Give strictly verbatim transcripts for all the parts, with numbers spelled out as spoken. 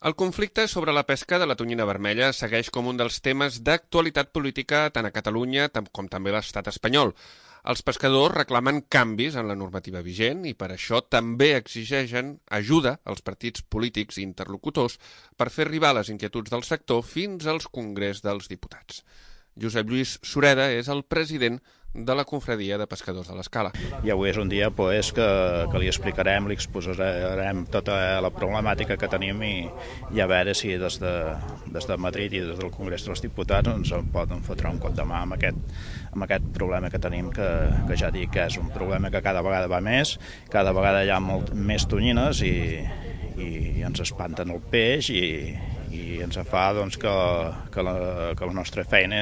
El conflicte sobre la pesca de la tonyina vermella segueix com un dels temes d'actualitat política tant a Catalunya com també a l'estat espanyol. Els pescadors reclamen canvis en la normativa vigent i per això també exigeixen ajuda als partits polítics i interlocutors per fer arribar les inquietuds del sector fins als Congrés dels Diputats. Josep Lluís Sureda és el president de la Confraria de Pescadors de l'Escala. I avui és un dia pues, que, que li explicarem, li exposarem tota la problemàtica que tenim i, i a veure si des de, des de Madrid i des del Congrés dels Diputats ens en poden fotre un cop de mà amb aquest, amb aquest problema que tenim, que, que ja dic que és un problema que cada vegada va més, cada vegada hi ha molt més tonyines i, i ens espanten el peix i, i ens fa doncs, que, que, la, que la nostra feina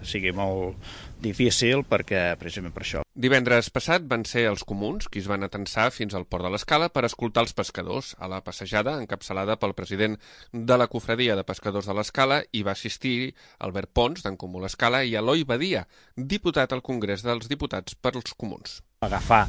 sigui molt difícil perquè, precisament per això. Divendres passat van ser els comuns qui es van atensar fins al port de l'Escala per escoltar els pescadors. A la passejada, encapçalada pel president de la Confraria de Pescadors de l'Escala, hi va assistir Albert Pons, d'en Comú l'Escala, i Eloi Badia, diputat al Congrés dels Diputats pels Comuns. Agafar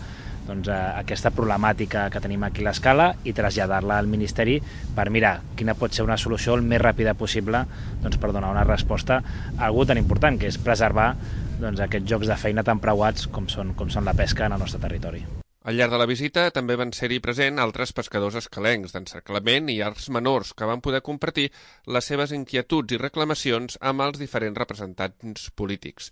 doncs, aquesta problemàtica que tenim aquí a l'Escala i traslladar-la al Ministeri per mirar quina pot ser una solució el més ràpida possible doncs, per donar una resposta a algú tan important, que és preservar doncs, aquests llocs de feina tan preuats com són, com són la pesca en el nostre territori. Al llarg de la visita també van ser-hi present altres pescadors escalencs d'encerclament i arts menors que van poder compartir les seves inquietuds i reclamacions amb els diferents representants polítics.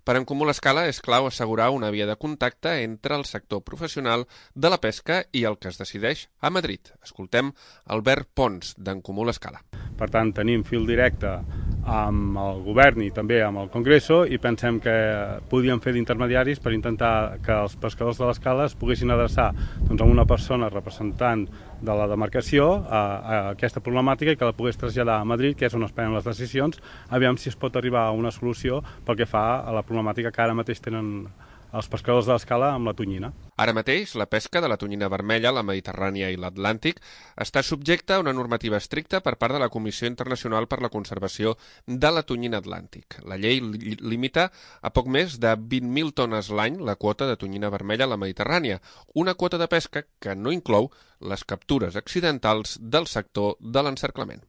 Per en Comú l'Escala és clau assegurar una via de contacte entre el sector professional de la pesca i el que es decideix a Madrid. Escoltem Albert Pons, d'en Comú l'Escala. Per tant, tenim fil directe amb el govern i també amb el Congreso i pensem que podíem fer d'intermediaris per intentar que els pescadors de l'Escala es poguessin adreçar doncs, a una persona representant de la demarcació a, a aquesta problemàtica i que la pogués traslladar a Madrid, que és on es prenen les decisions, aviam si es pot arribar a una solució pel que fa a la problemàtica que ara mateix tenen els pescadors de l'Escala amb la tonyina. Ara mateix, la pesca de la tonyina vermella, la Mediterrània i l'Atlàntic està subjecta a una normativa estricta per part de la Comissió Internacional per la Conservació de la Tonyina Atlàntic. La llei li limita a poc més de vint mil tones l'any la quota de tonyina vermella a la Mediterrània, una quota de pesca que no inclou les captures accidentals del sector de l'encerclament.